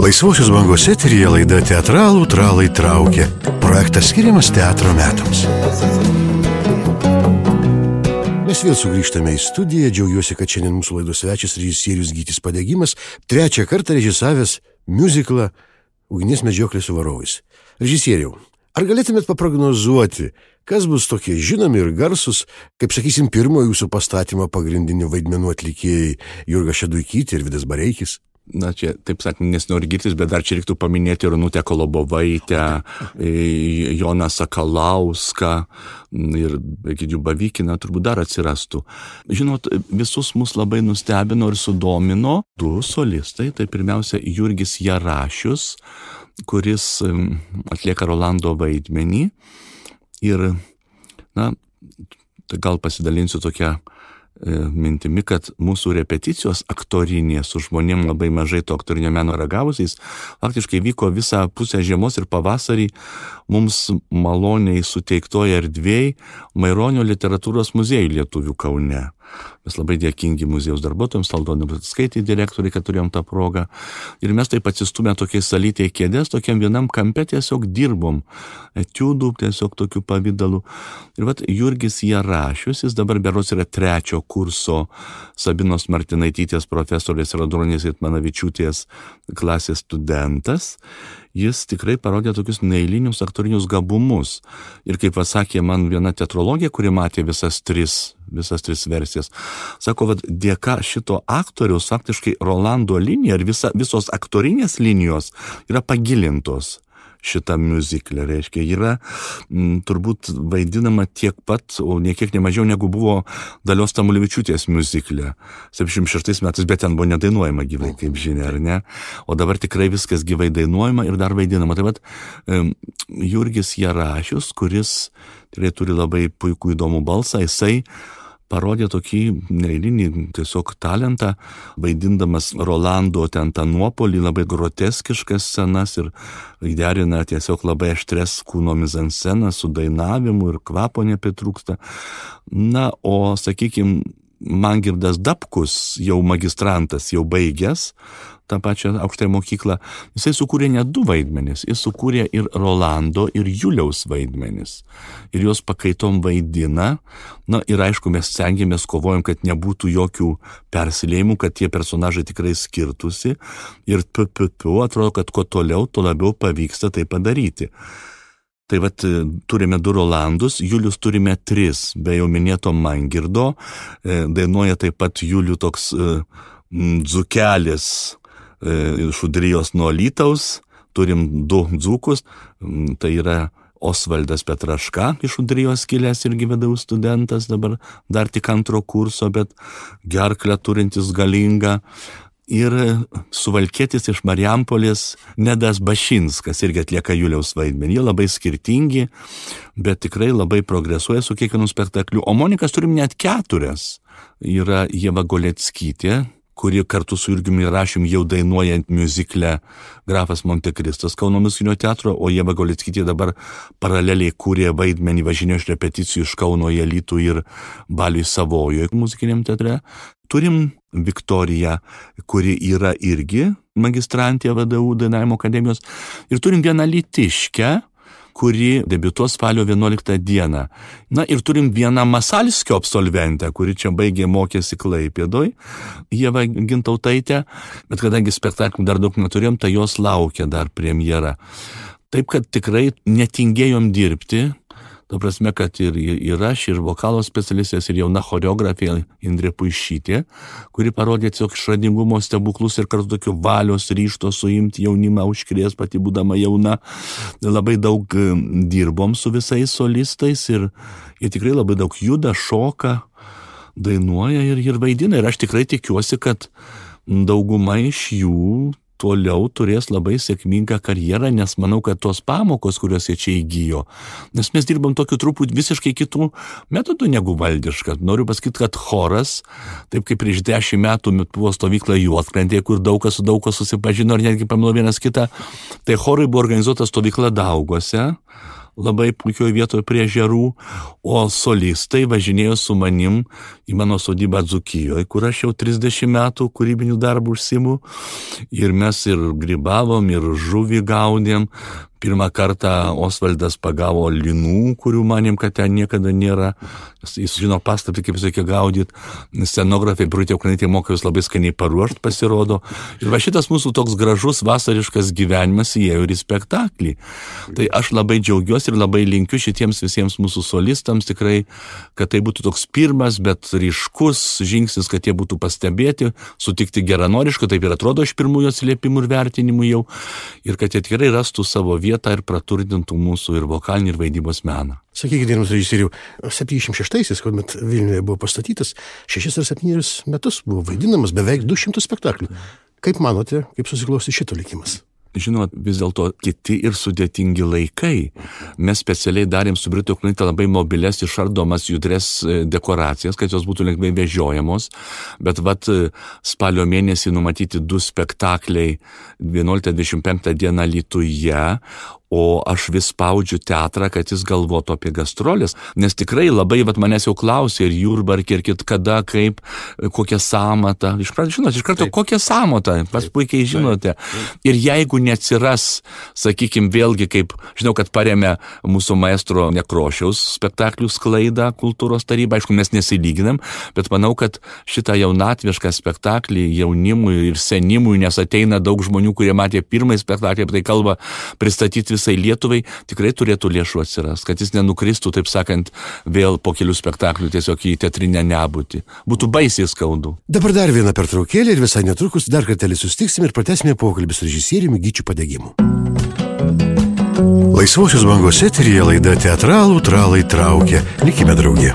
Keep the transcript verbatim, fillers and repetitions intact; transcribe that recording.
Laisvosios bangos eteryje laida Teatralų tralai traukia. Projektas skiriamas teatro metams. Mes vėl sugrįžtame į studiją. Džiaugiuosi, kad šiandien mūsų laidos svečias režisierius Gytis Padegimas trečią kartą režisavęs miuziklą Ugnies medžioklė su varovais. Režisieriau, ar galėtumėt paprognozuoti, kas bus tokie žinomi ir garsus, kaip sakysim, pirmo jūsų pastatymo pagrindinių vaidmenų atlikėjai Jurga Šeduikytė ir Vidas Bareikis? Na, čia, taip sakant, nesinori girtis, bet dar čia reiktų paminėti Runutę Kolobovaitę, Joną Sakalauską ir Egidijų Bavykiną, turbūt dar atsirastų. Žinot, visus mus labai nustebino ir sudomino du solistai, tai pirmiausia Jurgis Jarašius, kuris atlieka Rolando vaidmenį ir, na, tai gal pasidalinsiu tokią mintimi, kad mūsų repeticijos aktorinės su žmonėm labai mažai to aktorinio meno ragavusiais faktiškai vyko visą pusę žiemos ir pavasarį mums maloniai suteiktoje erdvėj Maironio literatūros muziejų lietuvių Kaune. Mes labai dėkingi muziejaus darbuotojams, Aldonai Bratskaitei direktoriai, kad turėjom tą progą. Ir mes taip atsistumę tokiai salytėje kėdės, tokiam vienam kampe tiesiog dirbom, etiudų, tiesiog tokių pavydalų. Ir vat Jurgis Jarašius, jis dabar berods yra trečio kurso Sabinos Martinaitytės profesorės Radronės Itmanavičiūtės klasės studentas. Jis tikrai parodė tokius neeilinius aktorinius gabumus. Ir kaip pasakė man viena teatrologė, kuri matė visas tris, visas tris versijas, sako, kad dėka šito aktoriaus faktiškai Rolando linija ir visa, visos aktorinės linijos yra pagilintos. Šitą miuziklę, reiškia, yra m, turbūt vaidinama tiek pat, o niekiek nemažiau negu buvo Dalios Tamulevičiūtės miuziklė septyniasdešimt šeštais metais, bet ten buvo nedainuojama gyvai, kaip žinia, ar ne? O dabar tikrai viskas gyvai dainuojama ir dar vaidinama. Taip pat um, Jurgis Jarašius, kuris tikrai turi labai puikų įdomų balsą, jisai parodė tokį neeilinį tiesiog talentą, vaidindamas Rolando ten tą nuopolį, labai groteskiškas scenas ir derina tiesiog labai aštres kūno mizansceną su dainavimu ir kvapo nepritrūksta. Na, o, sakykime, Mangirdas Dapkus, jau magistrantas, jau baigęs tą pačią aukštąją mokyklą, jisai sukūrė net du vaidmenis. Jis sukūrė ir Rolando, ir Juliaus vaidmenis. Ir jos pakaitom vaidina. Na ir aišku, mes stengiamės, kovojom, kad nebūtų jokių persilėjimų, kad tie personažai tikrai skirtųsi. Ir p-p-p, atrodo, kad kuo toliau, tuo labiau pavyksta tai padaryti. Tai vat turime du Rolandus, Julius turime tris, be jau minėto Mangirdo, dainuoja taip pat Julių toks dzūkelis iš Udrijos nuo Alytaus, turim du dzūkus, tai yra Osvaldas Petraška iš Udrijos kilęs irgi V D U studentas, dabar dar tik antro kurso, bet gerklę turintis galingą. Ir suvalkietis iš Marijampolės Nedas Bašinskas irgi atlieka Juliaus vaidmenį. Jie labai skirtingi, bet tikrai labai progresuoja su kiekvienu spektakliu. O Monikas turim net keturias. Yra Ieva Goleckytė, kuri kartu su Jurgiumi Jarašiumi jau dainuojant miuzikle Grafas Montekristas Kauno muzikinio teatro, o Ieva Goleckytė dabar paraleliai kūrė vaidmenį, važinėjo iš repeticijų iš Kauno į Alytų ir Baliui Savojoje muzikiniam teatre. Turim Viktoriją, kuri yra irgi magistrantė V D U dainavimo akademijos, ir turim vieną alytiškę, kuri debiutuos spalio vienuoliktą dieną. Na ir turim vieną Masalskio absolventę, kuri čia baigė mokėsi Klaipėdoj, Ieva Gintautaitė, bet kadangi spektaklių dar daug neturėjom, tai jos laukia dar premjera. Taip, kad tikrai netingėjom dirbti, ta prasme, kad ir, ir aš, ir vokalo specialistės, ir jauna choreografija Indrė Puišytė, kuri parodė tiesiog išradingumo stebuklus ir kartu tokio valios ryžto suimti jaunimą, užkrės pati būdama jauna. Labai daug dirbom su visais solistais ir jie tikrai labai daug juda, šoka, dainuoja ir, ir vaidina. Ir aš tikrai tikiuosi, kad dauguma iš jų toliau turės labai sėkmingą karjerą, nes manau, kad tos pamokos, kurios jie čia įgyjo, nes mes dirbam tokiu truputį visiškai kitų metodų negu valdiška. Noriu pasakyti, kad choras, taip kaip prieš dešimt metų buvo stovykla Juodkrantėje, kur daug kas su daug kas susipažino ir netgi pamilo vienas kitą, tai chorui buvo organizuota stovykla Daugose, labai puikioje vietoje prie ežerų, o solistai važinėjo su manim į mano sodybą Dzūkijoje, kur aš jau trisdešimt metų kūrybinių darbų užsiimu. Ir mes ir grybavom, ir žuvį gaudėm. Pirmą kartą Osvaldas pagavo linų, kurių manim, kad ten niekada nėra. Jis žino paslaptį, kaip jis reikia gaudyti. Scenografai, Birutė Ukrainaitė moka jūs labai skaniai paruošti, pasirodo. Ir va šitas mūsų toks gražus vasariškas gyvenimas įėjo ir į spektaklį. Tai aš labai džiaugiuosi ir labai linkiu šitiems visiems mūsų solistams tikrai, kad tai būtų toks pirmas, bet ryškus žingsnis, kad jie būtų pastebėti, sutikti geranoriškai, taip ir atrodo iš pirmųjų atsiliepimų ir vertinimų jau, ir kad jie tikrai rastų savo vietą ir praturtintų mūsų ir vokalinį, ir vaidybos meną. Sakykite, gerbiamas režisieriau, septyniasdešimt šeštaisiais, kuomet Vilniuje buvo pastatytas, šešis ar septynis metus buvo vaidinamas beveik du šimtus spektaklių. Kaip manote, kaip susiklosti šito likimas? Žinot, vis dėlto kiti ir sudėtingi laikai. Mes specialiai darėm su Birute Ukrainaite labai mobilias, išardomas, judres dekoracijas, kad jos būtų lengvai vežiojamos, bet vat spalio mėnesį numatyti du spektakliai vienuoliktą dvidešimt penktą dieną Alytuje, o aš vis spaudžiu teatrą, kad jis galvotų apie gastrolės, nes tikrai labai, vat manęs jau klausė ir Jurbarke, ir kit kada, kaip, kokią sąmatą. Iš pradžių, žinot, iš karto, taip. Kokią sąmatą, pas puikiai žinote. Taip. Ir jeigu neatsiras, sakykime, vėlgi, kaip, žinau, kad paremė mūsų maestro Nekrošiaus spektaklių sklaidą kultūros taryba, aišku, mes nesilyginam, bet manau, kad šitą jaunatvišką spektaklį jaunimui ir senimui, nes ateina daug žmonių, kurie matė pirmąjį spektaklį, apie tai kalba, pristatyti visai Lietuvai, tikrai turėtų lėšų atsiras, kad jis nenukristų, taip sakant, vėl po kelių spektaklių tiesiog į teatrinę nebūtį. Būtų baisiai skaudu. Dabar dar viena pertraukėlė ir visai netrukus dar kartelį sustiksim ir pratęsime pokalbį su režisieriumi Gyčiu Padegimu. Laisvosios bangos eteryje laida Teatralų tralai traukia. Likime drauge.